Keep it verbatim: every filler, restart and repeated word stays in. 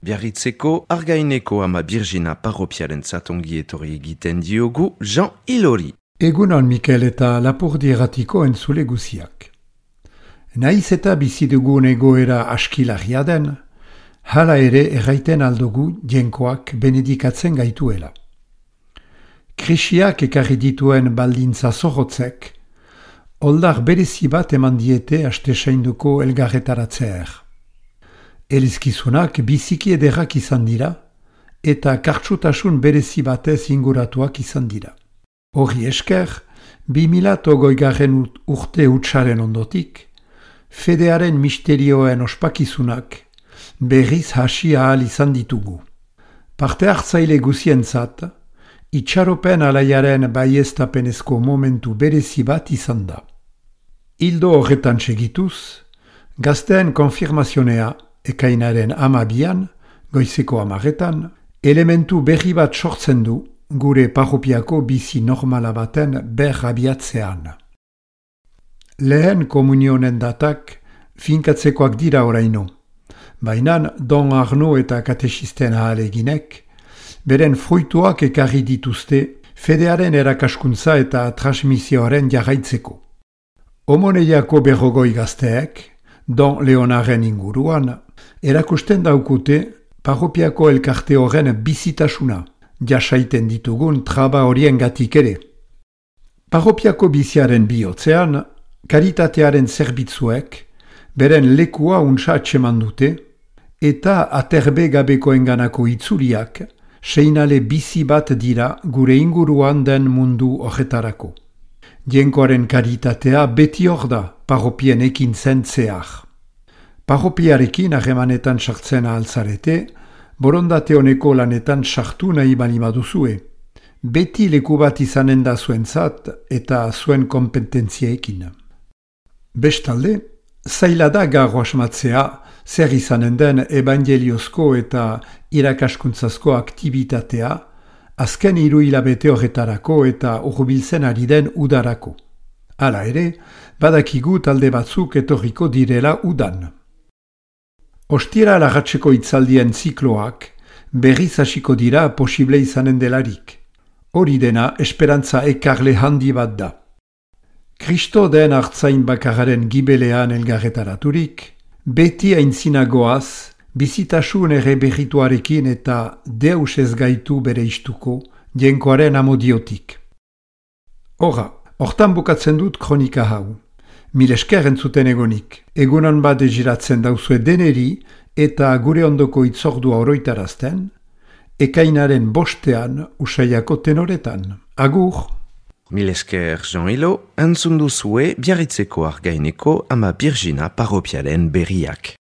Biarritzeko Argaineko ama Birjina parropiaren zatongi etorri egiten diogu Jean Ilori. Egunon Mikel eta Lapurdi erratiko entzule guziak. Naiz eta bizi dugun egoera askilarria den, hala ere erraiten aldugu jenkoak benedikatzen gaituela. Krisiak ekarri dituen baldintza zorrotzek, oldar berezi bat eman diete astesainduko elgarretaratzeer. Elizkizunak biziki ederrak izan dira, eta kartsutasun berezi batez inguratuak izan dira. Horri esker, bi mila hogeigarren urte hutsaren ondotik, fedearen misterioen ospakizunak berriz hasi ahal izan ditugu. Parte hartzaile guzientzat, itxaropen alaiaren baieztapenezko momentu berezi bat izan da. Hildo horretan segituz, gazteen konfirmazionea ekainaren amabian, goizeko amaretan, elementu berri bat sortzen du gure parropiako bizi normala baten berrabiatzean. Lehen komunionen datak finkatzekoak dira oraino, baina Don Arno eta katexisten ahaleginek beren fruituak ekarri dituzte fedearen erakaskuntza eta transmisioaren jarraitzeko. Omoneiako berrogoi gazteek, Don Leonaren inguruan, erakusten daukute parropiako elkarte horren bizitasuna, jasaiten ditugun traba horien gatik ere. Parropiako biziaren bihotzean, karitatearen zerbitzuek, beren lekua untsa atseman dute, eta aterbe gabekoenganako itzuliak, seinale bizi bat dira gure inguruan den mundu horretarako. Jenkoaren karitatea beti hor da parropien ekin zen zehar. Parropiarekin harremanetan sartzen ahaltzarete, borondate honeko lanetan sartu nahi bali baduzue. Beti leku bat izanen da zuentzat eta zuen kompetentziekin. Bestalde, zaila da gaur asmatzea zer izanen den evangeliozko eta irakaskuntzazko aktibitatea azken hiru hilabete horretarako eta hurbiltzen ari den udarako. Hala ere, badakigu talde batzuk etorriko direla udan. Ostira lagatzeko itzaldien zikloak berriz hasiko dira posible izanen delarik. Hori dena esperantza ekarle handi bat da. Kristo den hartzain bakararen gibelean elgarretaraturik, beti aintzinagoaz, bizitasun ere berrituarekin eta deus ez gaitu bere istuko jenkoaren amodiotik. Horra, hortan bukatzen dut kronika hau. Mil esker entzuten egonik, egunan bat egiratzen dauzue deneri eta gure ondoko itzordua oroitarazten, ekainaren bostean usaiako tenoretan. Agur! Mil esker Jean Ilo, entzun duzue Biarritzeko Argaineko ama Birjina parropiaren berriak.